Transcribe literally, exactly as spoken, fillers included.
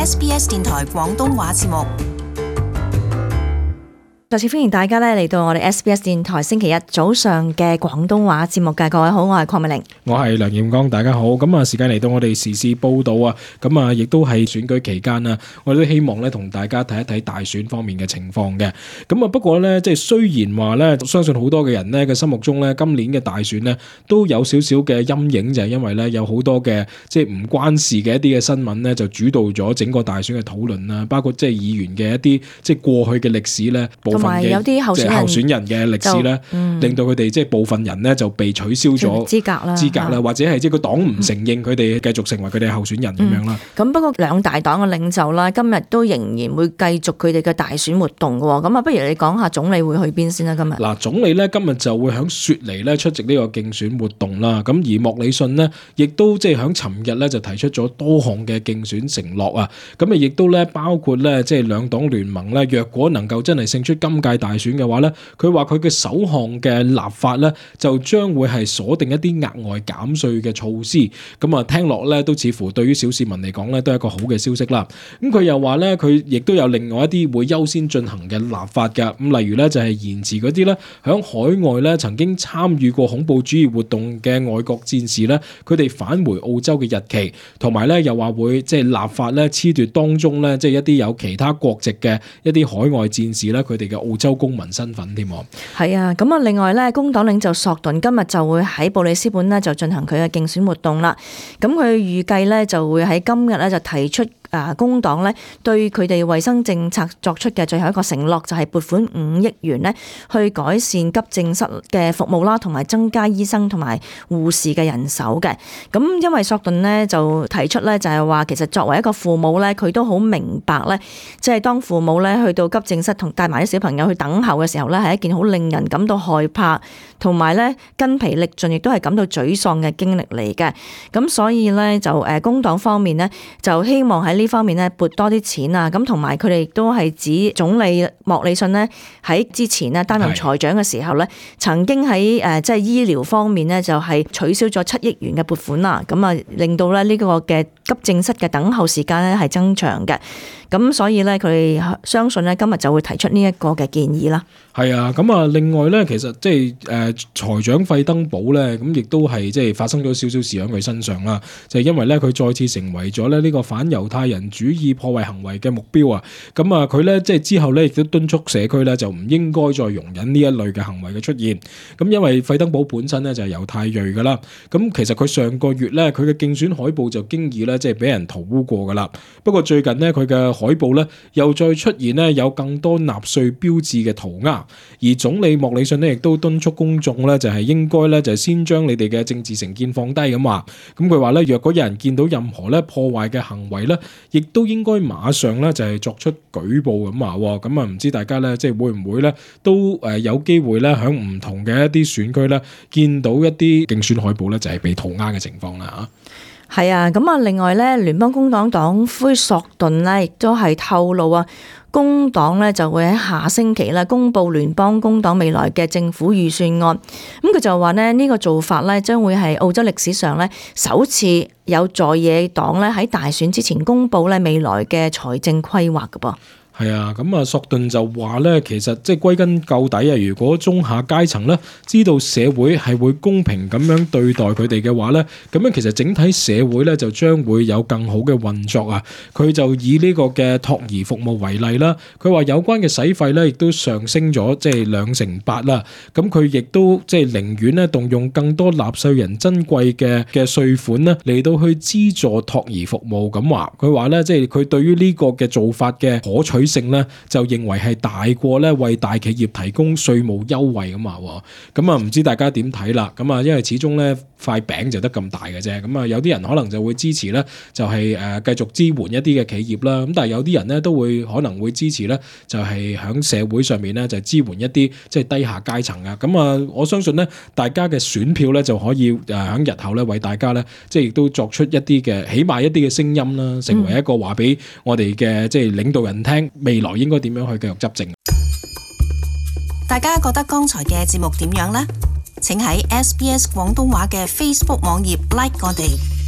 S B S 電台廣東話節目。再次歡迎大家咧嚟到我哋 S B S 電台星期一早上嘅廣東話節目嘅。各位好，我係鄺美玲，我係梁彥剛，大家好。咁啊，時間嚟到我哋時事報道啊，咁啊，亦都係選舉期間啊，我哋都希望咧同大家睇一睇大選方面嘅情況嘅。咁啊，不過咧，即係雖然話咧，相信好多嘅人咧嘅心目中咧，今年嘅大選咧都有少少嘅陰影，就係因為咧有好多嘅即係唔關事嘅一啲嘅新聞咧，就主導咗整個大選嘅討論啦，包括即係議員嘅一啲即係過去嘅歷史咧，部分嘅有啲候選人候選人嘅歷史咧，嗯、令到佢哋即係部分人咧就被取消咗資格啦，資格啦，或者係即係個黨唔承認佢哋繼續成為佢哋候選人咁、嗯、樣啦。咁不過兩大黨嘅領袖啦，今日都仍然會繼續佢哋嘅大選活動嘅喎。咁啊，不如你講下總理會去邊先啦？今日嗱，總理咧今日就會喺雪梨咧出席呢個競選活動啦。咁而莫里遜呢，亦都即係喺尋日咧就提出咗多項嘅競選承諾啊。咁啊，亦都咧包括咧即係兩黨聯盟咧，若果能夠真係勝出今屆大選嘅話咧，佢話佢嘅首項嘅立法咧，就將會係鎖定一啲額外減稅嘅措施。咁啊，聽落咧都似乎對於小市民嚟講咧，都係一個好嘅消息啦。咁佢又話咧，佢亦都有另外一啲會優先進行嘅立法㗎。咁例如咧，就係延遲嗰啲咧響海外咧曾經參與過恐怖主義活動嘅外國戰士咧，佢哋返回澳洲嘅日期，同埋咧又話會即係立法咧褫奪當中咧即係一啲有其他國籍嘅一啲海外戰士咧，佢哋嘅澳洲公民身份添。係啊，咁啊，另外咧，工黨領袖索頓今日就會喺布里斯本咧就進行佢嘅競選活動啦。咁佢預計咧就會喺今日咧就提出啊，工黨咧對佢哋衛生政策作出嘅最後一個承諾，就係撥款五億元咧去改善急症室嘅服務啦，同埋增加醫生同埋護士嘅人手嘅。咁因為索頓咧就提出咧就係話，其實作為一個父母咧，佢都好明白咧，即係當父母咧去到急症室同帶埋啲小朋友去等候嘅時候咧，係一件好令人感到害怕，同埋咧筋疲力盡，亦都係感到沮喪嘅經歷嚟嘅。咁所以咧就誒工黨方面咧就希望喺呢方面咧撥多啲錢啊，咁同埋佢哋亦都係指總理莫里遜呢喺之前呢擔任財長嘅時候咧，曾經喺誒即係醫療方面咧就係取消咗七億元嘅撥款啦，咁啊令到咧呢個嘅急症室嘅等候時間咧係增長嘅。咁所以咧佢哋相信咧今日就會提出呢一個嘅建議啦。係啊，咁啊，另外咧，其實即係誒財長費登堡咧，咁亦都係即係發生咗少少事喺佢身上啦。就係因為咧，佢再次成為咗咧呢個反猶太人主義破壞行為嘅目標啊。咁啊，佢咧即係之後咧亦都敦促社區咧就唔應該再容忍呢一類嘅行為嘅出現。咁因為費登堡本身咧就係猶太裔噶啦。咁其實佢上個月咧佢嘅競選海報就經已咧即係俾人塗污過噶啦。不過最近呢，佢嘅海報咧又再出現咧有更多納粹標誌嘅塗鴉。而總理莫里遜呢亦都敦促公眾咧，就係應該咧，就係先將你哋嘅政治成見放低咁話。咁佢話咧，若果有人見到任何咧破壞嘅行為咧，亦都應該馬上咧就係作出舉報咁話。咁啊，唔知大家咧即係會唔會咧都誒有機會咧喺唔同嘅一啲選區咧見到一啲競選海報咧就係被塗鴉嘅情況啦嚇。係啊，咁啊，另外咧，聯邦工黨黨魁索頓咧亦都係透露啊。工黨咧就會喺下星期咧公布聯邦工黨未來嘅政府預算案，咁佢就話咧呢個做法咧將會係澳洲歷史上咧首次有在野黨咧喺大選之前公布咧未來嘅財政規劃㗎噃。係啊，咁啊，索頓就話咧，其實即係歸根究底啊，如果中下階層咧知道社會係會公平咁樣對待佢哋嘅話咧，咁樣其實整體社會咧就將會有更好嘅運作啊。佢就以呢個嘅托兒服務為例啦，佢話有關嘅使費咧亦都上升咗即係兩成八啦。咁佢亦都即係寧願咧動用更多納稅人珍貴嘅嘅稅款咧嚟到去資助托兒服務咁話。佢話咧即係佢對於呢個嘅做法嘅可取性咧就認為係大過咧為大企業提供稅務優惠咁話。咁啊唔知大家點睇啦？咁啊因為始終咧塊餅就得咁大嘅啫。咁啊有啲人可能就會支持咧就係誒繼續支援一啲嘅企業啦。咁但係有啲人咧都會可能會支持咧就係響社會上面咧就支援一啲即係低下階層啊。咁啊我相信咧大家嘅選票咧就可以誒響日後咧為大家咧即係亦都作出一啲嘅起碼一啲嘅聲音啦，成為一個話俾我哋嘅即係領導人聽。未來應該點樣去繼續執政？大家覺得剛才嘅節目點樣呢？請喺 S B S 廣東話嘅 Facebook 網頁 like 我哋。